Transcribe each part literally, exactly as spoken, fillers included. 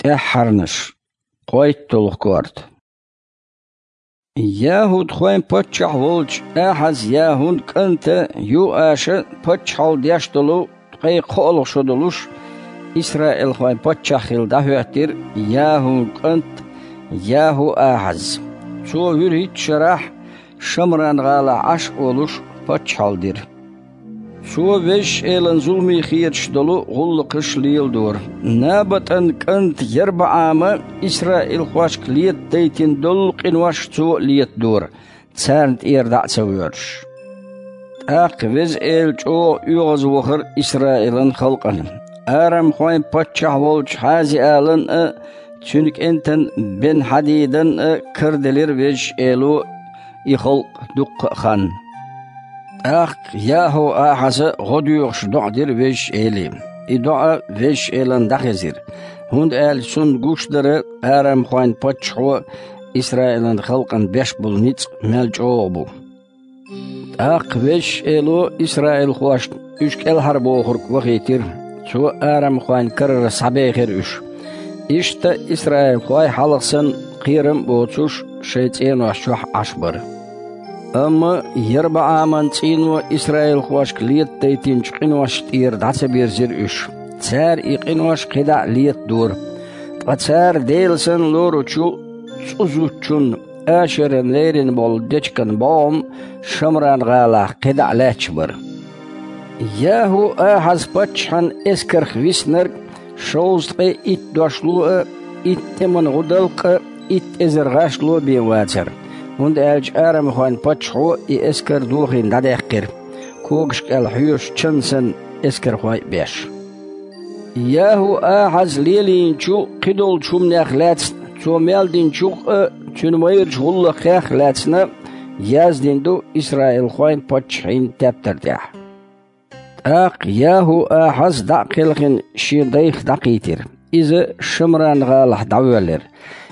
ТӀаьххьарнаш. КхойтталгӀа корта. ЯхӀудхойн паччахь волчу Ахьаз-ЯхӀун кӀанта Юаша паччахьалла деш долу ткъе кхоалгӀа шо долуш, исраилхойн паччахь хилла дӀахӀоьттира ЯхӀун кӀант ЯхӀу-Ахьаз. Цо вуьрхӀитта шарахь Шамран-гӀалахь Ӏаш а волуш, паччахьалла дира. Цо Везачу Элана зуламе хеташ долу гӀуллакхаш леладора. НабатӀан кӀанта ЯрбаӀама исраилхошка летадайтина долу къинош цо а летадора, царна тӀера дӀа а ца воьрзуш. ТӀаккха Веза Эла чӀогӀа оьгӀазвахара Исраилан халкъана. Арамхойн паччахь волчу Хьази-Алан а, цуьнан кӀентан Бен-Хьадидан а караделира Везачу Эло и халкъ дуккха а хан. ТӀаккха ЯхӀу-Ахьаза гӀо доьхуш доӀа дира Везачу Эле. И доӀа Везачу Элана дӀахезира, хӀунда аьлча цунна гуш дара арамхойн паччахьо Исраилан халкъана беш болу ницкъ мел чӀогӀа бу. ТӀаккха Везачу Эло исраилхошна уьш кӀелхьарбохург вахийтира, цо арамхойн карара схьабехира уьш. Иштта исраилхой хьалха санна кхерам а боцуш, шайн цӀенош чохь Ӏаш бара. Амма ЯрбаӀаман цӀийно исраилхошка летадайтинчу къиношна тӀера дӀа ца бирзира уьш. Цара и къинош кхидӀа а летадора. Ткъа цара Дела санна лоручу цӀу зудчунна Ашеран лерина болу дечиган бӀогӀам Шамран-гӀалахь кхидӀа а лаьтташ бара. ЯхӀу-Ахьаз-паччахьан эскарх виснарг шовзткъе итт дошло а, итт тӀеман гӀудалкх а, итт эзар гӀашло а бен вацара, хӀунда аьлча арамхойн паччахьо и эскар дохийна дӀадаьккхира, когаш кӀел хьоьжуш чан санна эскархой а беш. ЯхӀу-Ахьаз лелийначу кхидолчу хӀуманех лаьцна, цо мел динчух а, цуьнан майрачу гӀуллакхех а лаьцна яздина ду исраилхойн паччахьийн тептар тӀехь. ТӀаккха ЯхӀу-Ахьаз дӀа а кхелхина шен дайх дӀакхийтира. Иза Шамран-гӀалахь дӀавоьллира.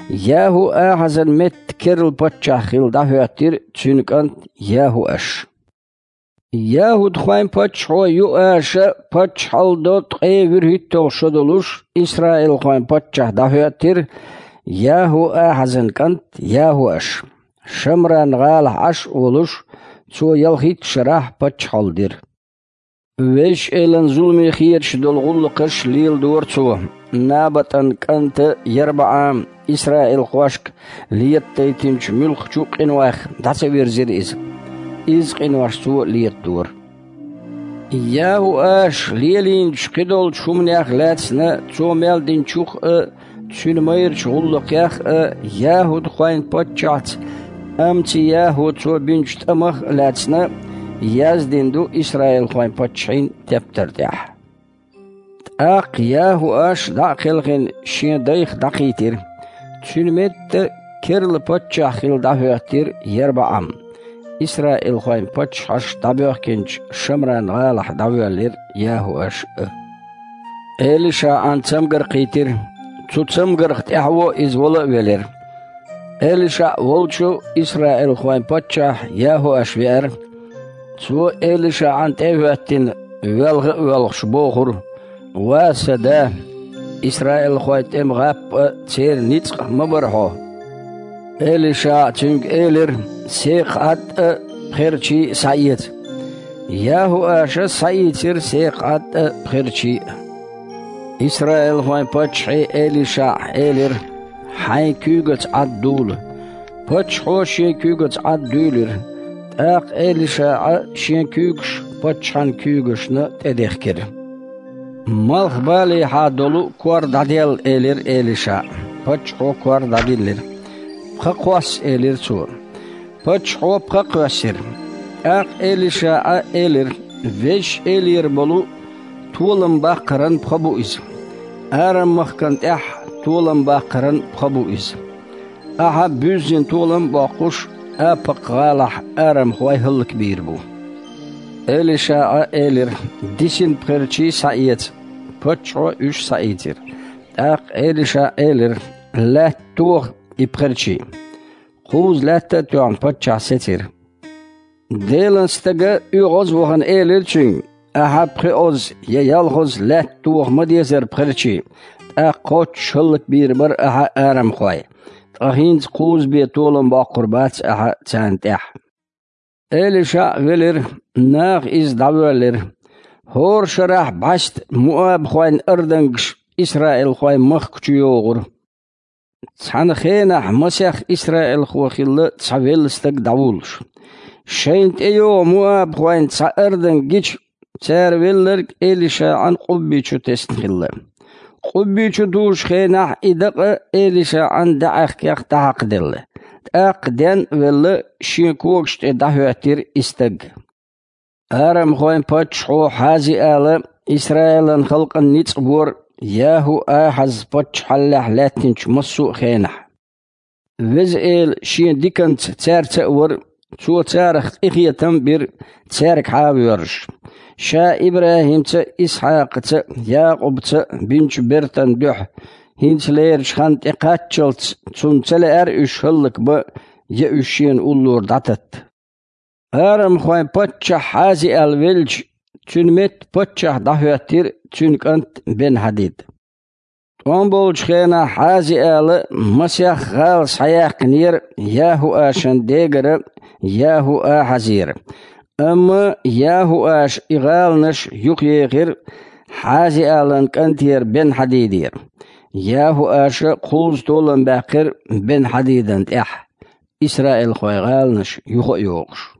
ЯхӀу-Ахьазан метта керла паччахь хилла дӀахӀоьттира цуьнан кӀант ЯхӀуаш. ЯхӀудхойн паччахьо Юаша паччахьалла до ткъе вуьрхӀитталгӀа шо долуш, исраилхойн паччахь дӀахӀоьттира ЯхӀу-Ахьазан кӀант ЯхӀуаш. Шамран-гӀалахь Ӏаш а волуш, цо ялхитта шарахь паччахьалла дира. Везачу Элана зуламе хеташ долу гӀуллакхаш леладора цо. НабатӀан кӀанта ЯрбаӀама исраилхошка летадайтинчу муьлххачу къинойх дӀа ца вирзира иза. Изза къинош цо а летадора. ЯхӀуаш лелийначу кхидолчу хӀуманех лаьцна, цо мел динчух а, цуьнан майрачу гӀуллакхех а, яхӀудхойн паччахьца Амци-ЯхӀу цо бинчу тӀамах а лаьцна, яздина ду исраилхойн паччахьийн тептар тӀехь. ТӀаккха ЯхӀуаш дӀа а кхелхина шен дайх дӀакхийтира. Цуьнан метта керла паччахь хилла дӀахӀоьттира ЯрбаӀам. Исраилхойн паччахьаш дӀабоьхкинчу Шамран-гӀалахь дӀавоьллира ЯхӀуаш а. ЭлишаӀан цамгар кхийтира. Цу цамгарх тӀаьхьо иза вала а велира. ЭлишаӀ волчу исраилхойн паччахь ЯхӀуаш веара. Цо ЭлишаӀан тӀе а хӀоьттина, велха а воьлхуш, бохура: «Ва сан да, исраилхойн тӀеман гӀап а, церан ницкъ а ма бара хьо». ЭлишаӀа цуьнга элира: «Секха Ӏад а, пхерчий а схьаэца». ЯхӀуаша схьаийцира секха Ӏад а, пхерчий а. Исраилхойн паччахье ЭлишаӀа элира: «Хьайн куьйгаца Ӏад дула». Паччахьо шен куьйгаца Ӏад дуьйлира. ТӀаккха ЭлишаӀа шен куьйгаш паччахьан куьйгашна тӀедехкира. «Малхбалехьа долу кор дӀаделла», — элира ЭлишаӀа. Паччахьо кор дӀадиллира. «Пха кхосса», — элира цо. Паччахьо пха кхоьссира. ТӀаккха ЭлишаӀа элира: «Везачу Элера болу толам баккхаран пха бу иза. Арам-махкан тӀехь толам баккхаран пха бу иза. Ахьа буьззина толам а боккхуш, Апакх-гӀалахь арамхой хӀаллакбийр бу». ЭлишаӀа элира: «Дисина пхерчий схьаэца». Паччахьо уьш схьаийцира. ТӀаккха ЭлишаӀа элира: «Лаьтта тоха и пхерчий». Кхузза лаьтта а тоьхна, паччахь сецира. Делан стага оьгӀаз а вахана элира цуьнга: «Ахьа пхоьазза я ялхазза лаьтта тоха ма дезара пхерчий, тӀаккха кхоччуш хӀаллакбийр бара ахьа арамхой, ткъа хӀинца кхузза бен толам боккхур бац ахьа царна тӀехь». Элишаъ велира, наха иза дӀавоьллира. ХӀора шарахь бӀаьста муабхойн ардангаш исраилхойн махка чу йогӀура. Цхьана хенахь масех исраилхо хилла цхьа велла стаг дӀавуллуш. Шайна тӀейогӀу муабхойн цхьа арданг гича, цара велларг Элишаъан къубби чу тесна хилла. Къубби чу дужучу хенахь и дакъа Элишаъан даьӀахкех дӀахьакхаделла. ТӀаккха ден а велла, шен когаш тӀе дӀахӀоьттира и стаг. Арамхойн паччахьо Хьазиала Исраилан халкъан ницкъ бора ЯхӀу-Ахьаз паччахьаллехь лаьттинчу массо а хенахь. Веза Эла шен диканца цаьрца а вара, Цо царах къинхетам а бира, цаьргахьа а воьрзуш. Ша ИбрахӀимца а, Исхьакхаца а, Якъубца а бинчу бертан дуьхьа, хӀинца лерачу хан тӀекхаччалц цунна ца лаьара уьш хӀаллакбан, я уьш шена уллора дӀататта. Арамхойн паччахь Хьазиал велча, цуьнан метта паччахь дӀахӀоьттира цуьнан кӀант Бен-Хьадид. ТӀом болчу хенахь Хьазиала масех гӀала схьаяьккхинера ЯхӀу-Ашан дегара ЯхӀу-Ахьазера. Амма ЯхӀу-Аша и гӀаланаш юхаехира Хьазиалан кӀантера Бен-Хьадидера. ЯхӀу-Аша кхузза толам баьккхира Бен-Хьадидан тӀехь, исраилхойн гӀаланаш юха а йохуш.